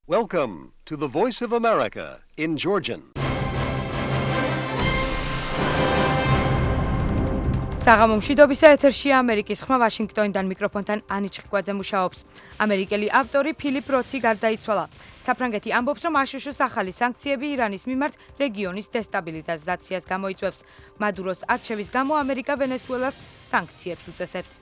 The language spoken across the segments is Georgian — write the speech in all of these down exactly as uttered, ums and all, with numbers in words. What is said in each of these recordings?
Welcome to the Voice of America in Georgian. საღამომშვიდობისა ეთერშია ამერიკის ხმა ვაშინგტონიდან მიკროფონთან ანი ჩხიკვაძე მუშაობს. ამერიკელი ავტორი ფილიპ როთი გარდაიცვალა. საფრანგეთი ამბობს, რომ აშშ-ს ახალი სანქციები ირანის მიმართ რეგიონის დესტაბილიზაციას გამოიწვევს. მადუროს არჩევის გამო ამერიკა ვენესუელას სანქციებს უწესებს.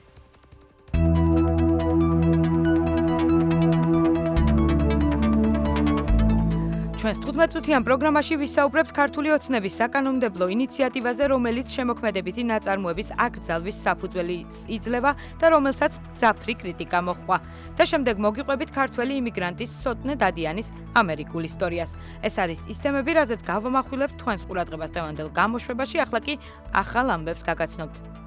ჩვენს თხუთმეტწუთიან პროგრამაში ვისაუბრებთ ქართული ოცნების საკანონმდებლო ინიციატივაზე, რომელიც შემოქმედებითი ნაწარმოების აკრძალვის საფუძველი იძლევა და რომელსაც მძაფრი კრიტიკა მოჰყვა. და შემდეგ მოგიყვებით ქართველი იმიგრანტის სოტნე დადიანის ამერიკულ ისტორიას. ეს არის ის თემები, რაზეც გავამახვილებთ თქვენს ყურადღებას დღევანდელ გამოშვებაში, ახლა კი ახალ ამბებს გაგაცნობთ.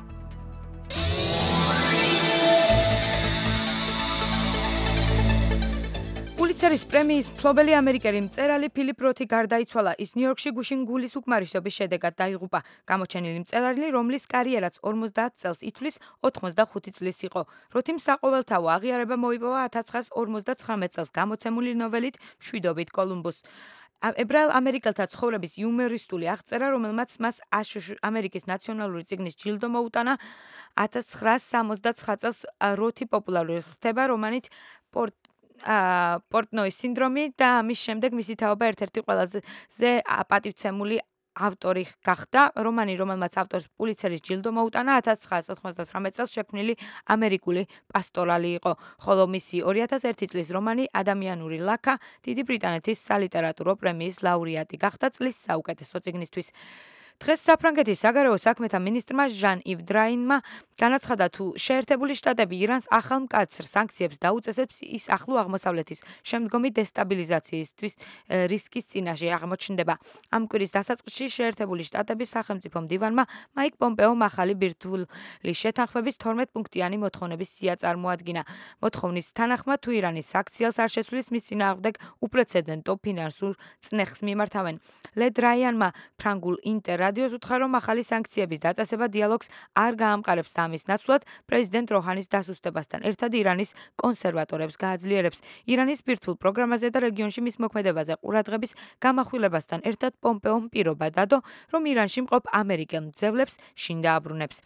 პულიცერის პრემიის მფლობელი ამერიკელი მწერალი ფილიპ როთი გარდაიცვალა. ის ნიუ-იორკში გუშინ გულის უკმარისობის შედეგად დაიღუპა. გამოჩენილი მწერალი, რომლის კარიერაც ორმოცდაათ წელს ითვლის, ოთხმოცდახუთი წლის იყო. როთიმ საყოველთაო აღიარება მოიპოვა ათას ცხრაასა ორმოცდაცხრამეტ წელს გამოცემული ნოველით მშვიდობით კოლუმბუს. ებრაელ ამერიკელთა ცხოვრების იუმორისტული აღწერა, რომელმაც მას ამერიკის ნაციონალური წიგნის ჯილდო მოუტანა. ათას ცხრაასა სამოცდაცხრა წელს როთი პოპულარული ხდება რომანით პორტ პორტნოის სინდრომი და ამის შემდეგ მისი თაობა ერთ-ერთი ყველაზე პატივცემული ავტორი გახდა. რომანი, რომელმაც ავტორს პულიცერის ჯილდო მოუტანა, ათას ცხრაასა ოთხმოცდათვრამეტ წელს შექმნილი ამერიკული პასტორალი იყო, ხოლო მისი ორი ათას ერთი წლის რომანი ადამიანური ლაქა დიდი ბრიტანეთის სალიტერატურო პრემიის ლაურეატი გახდა წლის საუკეთესო წიგნისთვის. დღეს საფრანგეთის საგარეო საქმეთა მინისტრმა ჟან ივ დრაინმა განაცხადა, თუ შეერთებული შტატები ირანს ახალ მკაცრ სანქციებს დაუწესებს, ის ახლო აღმოსავლეთის შემდგომი დესტაბილიზაციისთვის რისკის წინაშე აღმოჩნდება. ამ კვირის დასაწყისში შეერთებული შტატების სახელმწიფო მდივანმა მაიკ პომპეომ ახალი ბირთვული შეთანხმების თორმეტ პუნქტიანი მოთხოვნების სია წარმოადგინა. მოთხოვნის თანახმად, თუ ირანის საქციელს არ შესვლის, მის წინააღმდეგ უპრეცედენტო ფინანსურ წნეხს მიმართავენ. ლე დრაიანმა ფრანგულ ინტერ რადიოს უთხრა, რომ ახალი სანქციების დაწესება დიალოგს არ გაამყარებს და ამის ნაცვლად პრეზიდენტ როჰანის დასუსტებასთან ერთად ირანის კონსერვატორებს გააძლიერებს. ირანის ბირთვულ პროგრამაზე და რეგიონში მის მოქმედებაზე ყურადღების გამახვილებასთან ერთად პომპეომ პირობა დადო, რომ ირანში მყოფ ამერიკელ მძევლებს შინ დააბრუნებს.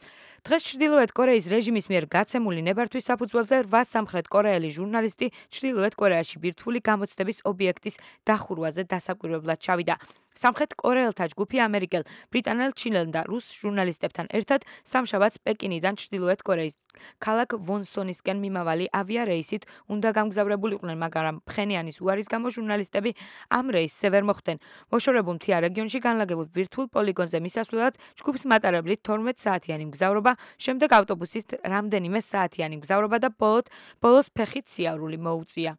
დღეს ჩრდილოეთ კორეის რეჟიმის მიერ გაცემული ნებართვის საფუძველზე რვა სამხრეთ კორეელი ჟურნალისტი ჩრდილოეთ კორეაში ბირთვული გამოცდების ობიექტის დახურვაზე დასაკვირვებლად ჩავიდა. სამხრეთ კორეელთა ჯგუფი ამერიკელ, ბრიტანელ, ჩინელ და რუს ჟურნალისტებთან ერთად სამშაბათს პეკინიდან ჩრდილოეთ კორეის ქალაქ ვონსონისკენ მიმავალი ავიარეისით უნდა გამგზავრებულიყვნენ, მაგრამ ფხენიანის უარის გამო ჟურნალისტები ამ რეისზე ვერ მოხვდნენ. მოშორებულ მთიან რეგიონში განლაგებულ ბირთვულ პოლიგონზე მისასვლელად ჯგუფს მატარებლით თორმეტ საათიანი მგზავრობა, შემდეგ ავტობუსით რამდენიმე საათიანი მგზავრობა და ბოლოს ფეხით სიარული მოუწია.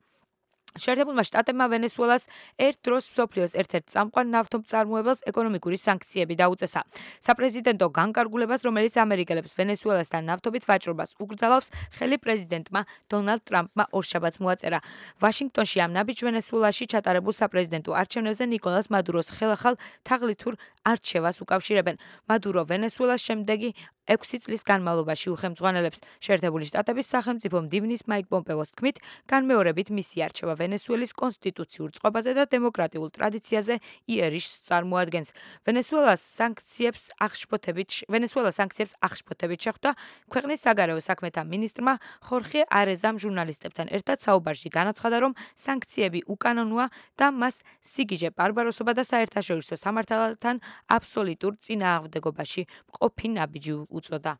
შეერთებულმა შტატებმა ვენესუელას ერთ დროს მსოფლიოს ერთ-ერთ წამყვან ნავთობწარმოებელს ეკონომიკური სანქციები დაუწესა. საპრეზიდენტო განკარგულებას, რომელიც ამერიკელებს ვენესუელასთან ნავთობით ვაჭრობას უკრძალავს, ხელი პრეზიდენტმა დონალდ ტრამპმა ორშაბათს მოაწერა. ვაშინგტონში ამ ნაბიჯ ვენესუელაში ჩატარებულ საპრეზიდენტო არჩევნებზე ნიკოლას მადუროს ხელახალ თაღლითურ არჩევას უკავშირებენ. მადურო ვენესუელას შემდეგი ექვსი წლის განმავლობაში უხელმძღვანელებს. შეერთებული შტატების სახელმწიფო მდივნის მაიკ პომპეოს თქმით, განმეორებით მისი არჩევა ვენესუელის კონსტიტუციურ წყობაზე და დემოკრატიულ ტრადიციაზე იერიშს წარმოადგენს. ვენესუელას სანქციებს აღშფოთებით ვენესუელას სანქციებს აღშფოთებით შეხვდა ქვეყნის საგარეო საქმეთა მინისტრმა ხორხე არეზამ ჟურნალისტებთან ერთად საუბარში განაცხადა, რომ სანქციები უკანონოა და მას სიგიჟე ბარბაროსობა და საერთაშორისო სამართალთან აბსოლუტურ წინააღმდეგობაში მყოფი ნაბიჯი უწოდა.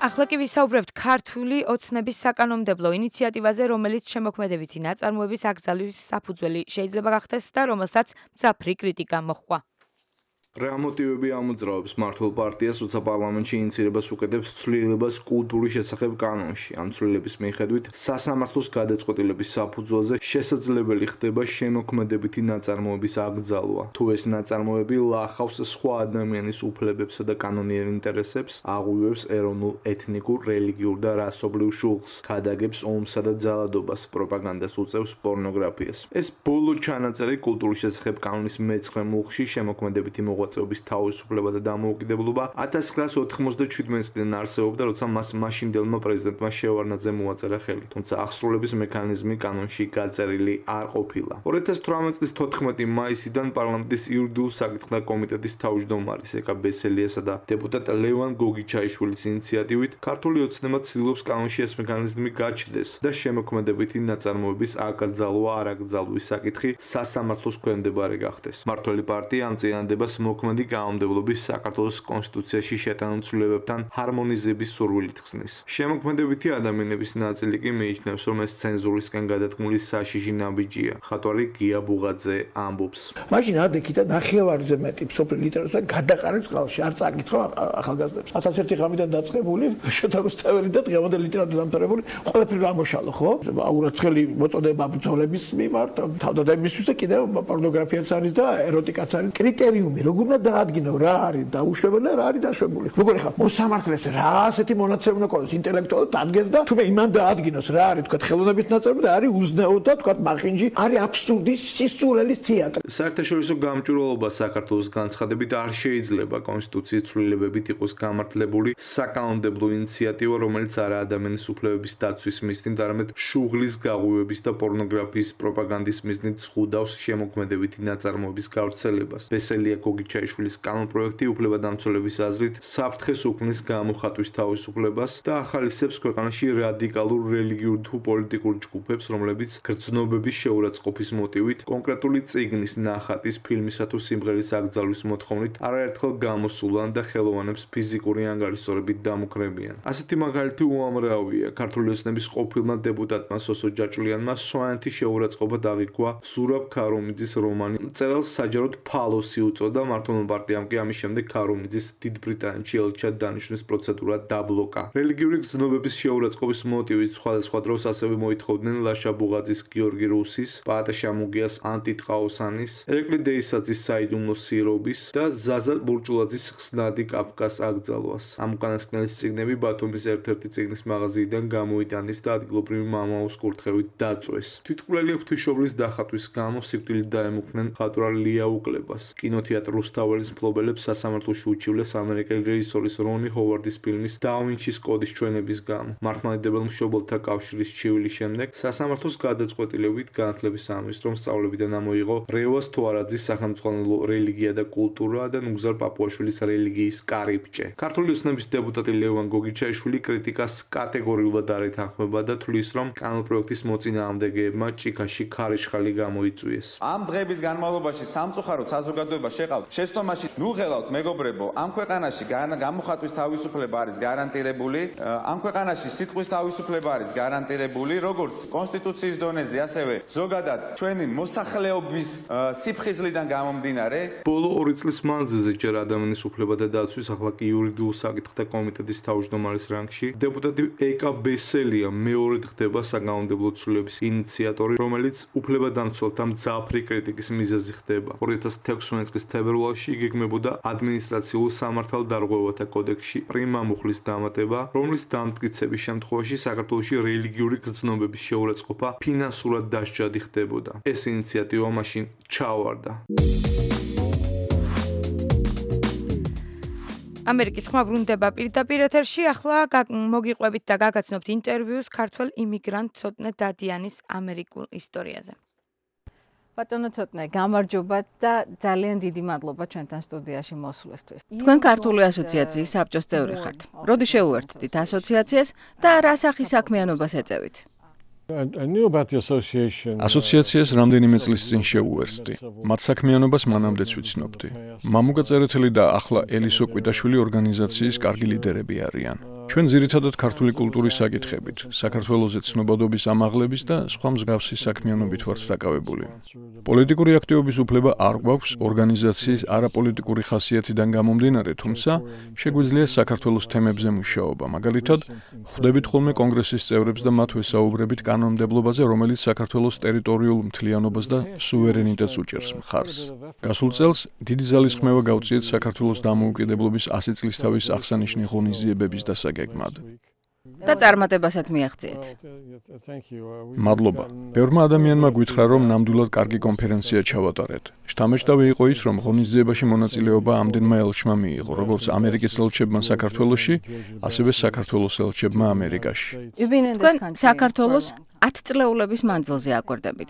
ახლა კი ვისაუბრებთ ქართული ოცნების საკანონმდებლო ინიციატივაზე, რომელიც შემოქმედებითი ნაწარმოების აკრძალვის საფუძველი შეიძლება გახდეს და რომელსაც მძაფრი კრიტიკა მოჰყვა. რა მოტივები ამოძრავებს მართლ პარტიას, როცა პარლამენტში ინიციირებას უკეთებს ცვლილებას კულტურის შესახებ კანონში. ამ ცვლილების მიხედვით სასამართლოს გადაწყვეტილების საფუძველზე შესაძლებელი ხდება შემოქმედებითი ნაწარმოების აკრძალვა. თუ ეს ნაწარმოები ლახავს სხვა ადამიანის უფლებებსა და კანონიერ ინტერესებს, აღუევს ეროვნულ, ეთნიკურ, რელიგიურ და რასობრივ შუღლს, ქადაგებს ომსა და ძალადობას, პროპაგანდას უწევს პორნოგრაფიას. ეს ბოლო ჩანაწერი კულტურის შესახებ კანონის მეცხრე მუხლში შემოქმედებითი მოღვაწეობის მოღვაწეობის თავისუფლება და დამოუკიდებლობა ათას ცხრაასი ოთხმოცდაჩვიდმეტი წლიდან არსებობდა, როცა მას მაშინდელმა პრეზიდენტმა შევარდნაძემ მოაწერა ხელი, თუმცა აღსრულების მექანიზმი კანონში გაწერილი არ ყოფილა. ორი ათას თვრამეტი წლის თოთხმეტი მაისიდან პარლამენტის იურიდიულ საკითხთა კომიტეტის თავმჯდომარის ეკა ბესელიასა და დეპუტატ ლევან გოგიჩაიშვილის ინიციატივით ქართული ოცნება ცდილობს კანონში ეს მექანიზმი გაჩნდეს და შემოქმედებითი ნაწარმოების აკრძალვა არ აკრძალვის საკითხი სასამართლოს ქვემდებარე გახდეს. მმართველი პარტია ამ წინადადებას მოქმედი კანონმდებლობის საქართველოს კონსტიტუციაში შეტანილ ცვლილებებთან ჰარმონიზების სურვილით ხსნის. შემოქმედებითი ადამიანების ნაწილი კი მიიჩნევს, რომ ეს ცენზურისგან გადადგმული საშიში ნაბიჯია. ხატვარი გია ბუღაძე ამბობს. მაშინ ადექი და ნახევარზე მეტი სოფლიო ლიტერატურა გადაყარეთ წყალში, არ წაკითხო ახალგაზრდებს. ათას ერთი ღამიდან დაწყებული, შოთა რუსთაველი და დღევანდელი ლიტერატურა დამთავრებული, ყველაფერი ამოშალო, ხო? აურაცხელი მოწოდება ბრძოლების მიმართ, თავდადებისთვის და კიდევ პორნოგრაფიაც არის და ეროტიკაც არის. კრიტერიუმი როგორ უნდა დაადგინო, რა არის დაუშვებელი და რა არის დაშვებული. როგორ ხარ? მოსამართლეს რა ასეთი მონაცემი უნდა ყოლოს, ინტელექტუალურად დადგეს და თუმე იმან დაადგინოს რა არის, თქვა ხელოვნების ნაწარმოები და არის უზნეო და თქვა მახინჯი, არის აბსურდის სისულელის თეატრი. საერთაშორისო გამჭვირვალობა საქართველოს განცხადებით არ შეიძლება კონსტიტუციის ცვლილებებით იყოს გამართლებული საკანონმდებლო ინიციატივა, რომელიც არა ადამიანის უფლებების დაცვის მიზნით, არამედ შუღლის გაღვივების და პორნოგრაფიის პროპაგანდის მიზნით ზღუდავს შემოქმედებითი ნაწარმოების გავრცელებას. ბესელია გოგიჩაიშვილის კანონპროექტი უფლებადამცველების აზრით საფრთხეს უქმნის გამოხატვის თავისუფლებას და ახალისებს ქვეყანაში რადიკალურ რელიგიურ თუ პოლიტიკურ ჯგუფებს, რომლებიც გრძნობების შეურაცხყოფის მოტივით კონკრეტული წიგნის, ნახატის, ფილმისა თუ სიმღერის აკრძალვის მოთხოვნით არაერთხელ გამოსულან და ხელოვანებს ფიზიკური ანგარიშსწორებით დამუქრებიან. ასეთი მაგალითი უამრავია. ქართული ოცნების ყოფილმა დეპუტატმა სოსო ჯაჭვლიანმა სვანეთის შეურაცხყოფა დაღიქვა ზურაბ ქარუმიძის რომანი. მწერალს საჯაროდ ფალოსი უწოდა, მმართველმა პარტიამ კი ამის შემდეგ ქარუმიძის დიდ ბრიტანეთში ელჩად დანიშვნის პროცედურა დაბლოკა. რელიგიური გრძნობების შეურაცხყოფის მოტივით სხვადასხვა დროს ასევე მოითხოვდნენ ლაშა ბუღაძის, გიორგი რუსის, პაატა შამუგიას, ანტი ტყაოსანის, ერეკლი დეისაძის საიდუმლო სირობის და ზაზა ბურჭულაძის ხსნადი კაფკას აკრძალვას. ამ უკანასკნელის წიგნები ბათუმის ერთ-ერთი წიგნის მაღაზიიდან გამოიტანეს და ადგილობრივი მამაოს კურთხევით დაწვეს. თვითმკვლელი ღვთისმშობლის დახატვის გამო სიკვდილით დაემუქრნენ მხატვარ ლია უკლებას. კინოთეატრ რუსთაველის მფლობელებს სასამართლოში უჩივლეს ამერიკელი რეჟისორის რონი ჰოვარდის ფილმის და ვინჩის კოდის ჩვენების გამო. მართლმადიდებელ მშობელთა კავშირის ჩივილის შემდეგ სასამართლოს გადაწყვეტილებით განათლების ამის რომ სწავლებიდან ამოიღო რევას თوارაძის სახელმძღვანელო რელიგია და კულტურა და ნუგზარ პაპუაშვილის რელიგიის კარიბჭე. ქართული ოცნების დეპუტატი ლევან გოგიჩაიშვილი კრიტიკას კატეგორიულად არ ეთანხმება და თვლის, რომ კანონპროექტის მოწინააღმდეგეებმა ჭიქაში ქარიშხალი გამოიწვიეს. ამ დღეების განმავლობაში სამწუხაროდ საზოგადოება შეყავთ შეცდომაში, ნუ ღელავთ მეგობრებო, ამ ქვეყანაში გამოხატვის თავისუფლება არის გარანტირებული, ამ ქვეყანაში სიტყვის თავისუფლება არის გარანტირებული, როგორც კონსტიტუციის დონეზე, ასევე ზოგადად ჩვენი მოსახლეობის სიფხიზლიდან გამომდინარე. ბოლო ორი წლის მანძილზე ჯერ ადამიანის უფლებათა დაცვის, ახლა კი იურიდიულ საკითხთა კომიტეტის თავმჯდომარის რანგში დეპუტატი ეკა ბესელია მეორედ ხდება საკანონმდებლო ცვლილების ინიციატორი, რომელიც უფლებადამცველთა მძაფრი კრიტიკის მიზეზი ხდება. ორი ათას თექვსმეტი წლის თებერვალში იგეგმებოდა ადმინისტრაციულ სამართალდარღვევათა კოდექსში პრიმა მუხლის დამატება, რომლის დამტკიცების შემთხვევაში საქართველოში რელიგიური გრძნობების შეურაცხყოფა ფინანსურად დასჯადი ხდებოდა. ეს ინიციატივა მაშინ ჩაავარდა. ამერიკის ხმა ბრუნდება პირდაპირ ეთერში, ახლა მოგიყვებით და გაგაცნობთ ინტერვიუს ქართველ იმიგრანტ ცოტნე დადიანის ამერიკულ ისტორიაზე. ბატონო ცოტნე, გამარჯობა და ძალიან დიდი მადლობა ჩვენთან სტუდიაში მოსვლისთვის. თქვენ ქართული ასოციაციის საბჭოს წევრი ხართ. როდი შეუერთდით ასოციაციას და რა სახის საქმიანობას ეწევით? ასოციაციას რამდენიმე წლის წინ შეუერთდი. მათ საქმიანობას მანამდეც ვიცნობდი. მამუკა წერეთელი და ახლა ელისო კვიტაშვილი ორგანიზაციის კარგი ლიდერები არიან. ჩვენ ძირითადად ქართული კულტურის საკითხებით, საქართველოზე ცნობადობის ამაღლების და სხვა მსგავსი საქმიანობით ვართ დაკავებული. პოლიტიკური აქტივობის უფლება არ გვაქვს ორგანიზაციის არაპოლიტიკური ხასიათიდან გამომდინარე, თუმცა შეგვიძლია საქართველოს თემებზე მუშაობა. მაგალითად, ხვდებით ხოლმე კონგრესის წევრებს და მათ ვესაუბრებით კანონმდებლობაზე, რომელიც საქართველოს ტერიტორიულ მთლიანობას და სუვერენიტეტს უჭერს მხარს. გასულ წელს დიდი ძალისხმევა გავწიეთ საქართველოს დამოუკიდებლობის ასი წლისთავის აღსანიშნავი ღონისძიებების დასაგეგმად. და წარმატებასაც მიაღწიეთ. მადლობა. ბევრმა ადამიანმა გითხრა, რომ ნამდვილად კარგი კონფერენცია ჩავატარეთ. შთამბეჭდავი იყო ის, რომ ღონისძიებაში მონაწილეობა ამდენმა ელჩმა მიიღო, როგორც ამერიკის ელჩებმა საქართველოში, ასევე საქართველოს ელჩებმა ამერიკაში. თქვენ საქართველოს ათ წლეულების მანძილზე აკვირდებით.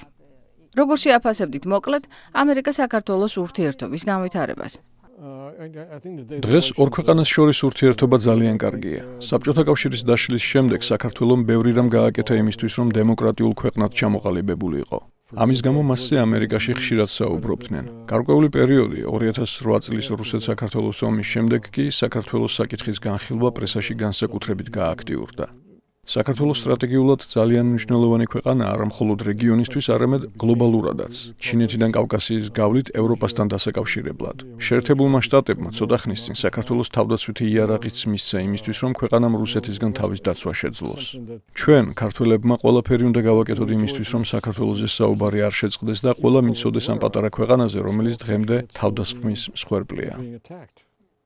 როგორ შეაფასებდით მოკლედ ამერიკა-საქართველოს ურთიერთობის განვითარებას? დღეს ორ ქვეყანას შორის ურთიერთობა ძალიან კარგია. საბჭოთა კავშირის დაშლის შემდეგ საქართველომ ბევრი რამ გააკეთა იმისთვის, რომ დემოკრატიულ ქვეყნად ჩამოყალიბებულიყო. ამის გამო მასზე ამერიკაში ხშირად საუბრობდნენ. გარკვეული პერიოდი ორი ათას რვა წლის რუსეთ-საქართველოს ომის შემდეგ კი საქართველოს საკითხის განხილვა პრესაში განსაკუთრებით გააქტიურდა. საქართველოს სტრატეგიულად ძალიან მნიშვნელოვანი ქვეყანა არა მხოლოდ რეგიონისთვის, არამედ გლობალურადაც. ჩინეთიდან კავკასიის გავლით ევროპასთან დასაკავშირებლად. შეერთებულმა შტატებმა ცოტა ხნის წინ საქართველოს თავდაცვითი იარაღიც მისცა იმისთვის, რომ ქვეყანამ რუსეთისგან თავის დაცვა შეძლოს. ჩვენ, ქართველებმა, ყველაფერი უნდა გავაკეთოთ იმისთვის, რომ საქართველოზე საუბარი არ შეწყდეს და ყველა მიცოდეს ამ პატარა ქვეყანაზე, რომელიც დღემდე თავდასხმის მსხვერპლია.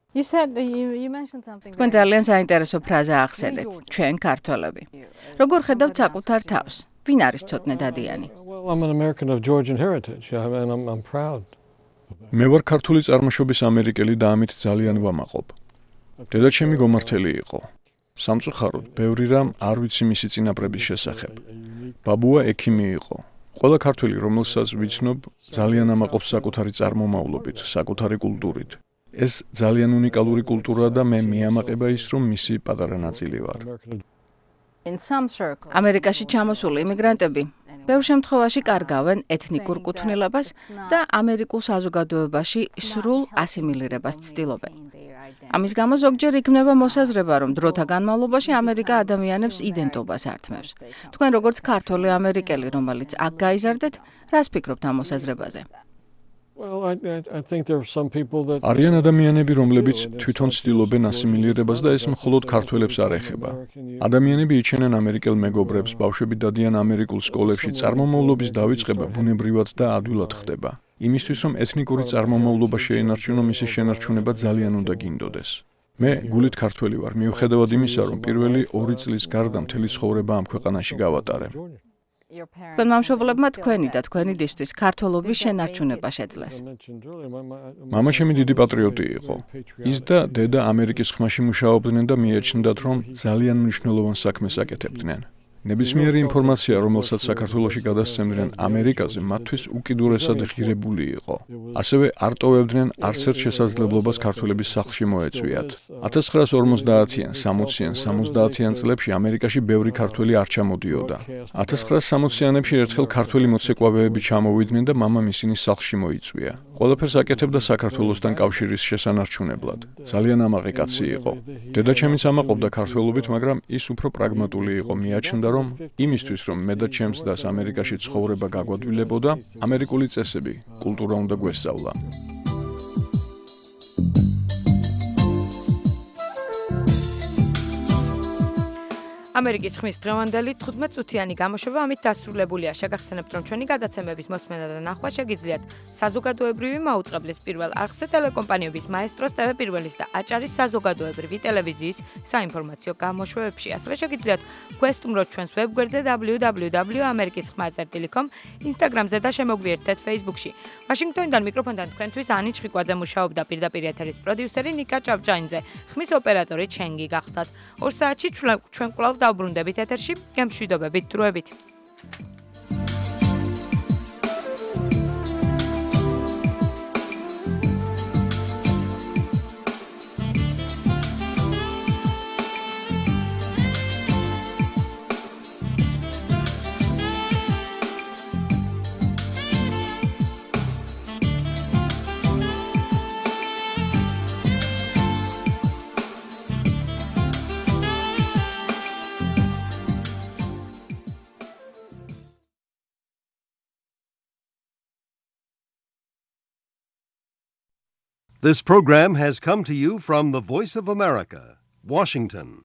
თქვენ ძალიან საინტერესო ფრაზა ახსენეთ, ჩვენ ქართველები. როგორ ხედავთ საკუთარ თავს? ვინ არის ცოტნე დადიანი? მე ვარ ქართული წარმოშობის ამერიკელი და ამით ძალიან ვამაყობ. დედაჩემი გომართელი იყო. სამწუხაროდ, ბევრი რამ არ ვიცი მისი წინაპრების შესახებ. ბაბუა ექიმი იყო. ყველა ქართველი, რომელსაც ვიცნობ, ძალიან ამაყობს საკუთარი წარმომავლობით, საკუთარი კულტურით. ეს ძალიან უნიკალური კულტურაა და მე მიამაყება ის, რომ მისი პატარა ნაწილი ვარ. ამერიკაში ჩამოსული იმიგრანტები ბევრ შემთხვევაში კარგავენ ეთნიკურ კუთვნილებას და ამერიკულ საზოგადოებაში სრულ ასიმილირებას ცდილობენ. ამის გამო ზოგჯერ იქმნება მოსაზრება, რომ დროთა განმავლობაში ამერიკა ადამიანებს იდენტობას ართმევს. თქვენ როგორც ქართველი ამერიკელი, რომელიც აქ გაიზარდეთ, რას ფიქრობთ ამ მოსაზრებაზე? არიან ადამიანები, რომლებიც თვითონ ცდილობენ ასიმილირებას და ეს მხოლოდ ქართველებს არ ეხება. ადამიანები იჩენენ ამერიკელ მეგობრებს, ბავშვები დადიან ამერიკულ სკოლებში, წარმომავლობის დავიწყება ბუნებრივად და ადვილად ხდება. იმისთვის, რომ ეთნიკური წარმომავლობა შეენარჩუნო, მისი შენარჩუნება ძალიან უნდა გინდოდეს. მე გულით ქართველი ვარ, მიუხედავად იმისა, რომ პირველი ორი წლის გარდა მთელი ცხოვრება ამ ქვეყანაში გავატარე. თქვენ მამშობლებმა თქვენი და თქვენი დისთვის ქართველობის შენარჩუნება შეძლეს. მამაშემი დიდი პატრიოტი იყო. ის და დედა ამერიკის ხმაში მუშაობდნენ და მიაჩნდათ, რომ ძალიან მნიშვნელოვან საქმეს აკეთებდნენ. ნებისმიერი ინფორმაცია, რომელსაც საქართველოში გადასცემდნენ ამერიკაზე, მათთვის უკიდურესად ღირებული იყო. ასევე არ ტოვებდნენ არც ერთ შესაძლებლობას ქართველების სახლში მოეწვიათ. ათას ცხრაას ორმოცდაათიან, სამოციან, სამოცდაათიან წლებში ამერიკაში ბევრი ქართველი არ ჩამოდიოდა. ათას ცხრაას სამოციანებში ერთხელ ქართველი მოცეკვავეები ჩამოვიდნენ და მამამ ისინი სახლში მოიწვია. ყველაფერს აკეთებდა საქართველოსთან კავშირის შესანარჩუნებლად. ძალიან ამაყი კაცი იყო. დედაჩემიც ამაყობდა ქართველობით, მაგრამ ის უფრო პრაგმატული იყო, მიაჩნდა რომ იმისთვის, რომ მე და ჩემს დას ამერიკაში ცხოვრება გაგვადვილებოდა, ამერიკული წესები, კულტურა უნდა გვესწავლა. ამერიკის ხმის დღევანდელი თხუთმეტ წუთიანი გამოშვება ამით დასრულებულია. შეგახსენებთ, რომ ჩვენი გადაცემების მოსმენა და ნახვა შეგიძლიათ საზოგადოებრივი მაუწყებლის პირველ არხზე, ტელეკომპანიების მაესტროს ტევ პირველის და აჭარის საზოგადოებრივი ტელევიზიის საინფორმაციო გამოშვებებში. ასევე შეგიძლიათ გვესტუმროთ ჩვენს ვებგვერდზე დაბლიუ დაბლიუ დაბლიუ ამერიკის ხმა წერტილი კომ, ინსტაგრამზე და შემოგვიერთდეთ Facebook-ში. ვაშინგტონიდან მიკროფონთან თქვენთვის ანი ჩხიკვაძე მუშაობდა, პირდაპირ ეთერის პროდიუსერი ნიკა ჭავჭაინძე, ხმის ოპერატორი ჩენგი გახდათ. ორ საათში ჩვენ კვლავ დავბრუნდებით ეთერში, გემშვიდობებით, დროებით. This program has come to you from the Voice of America, Washington.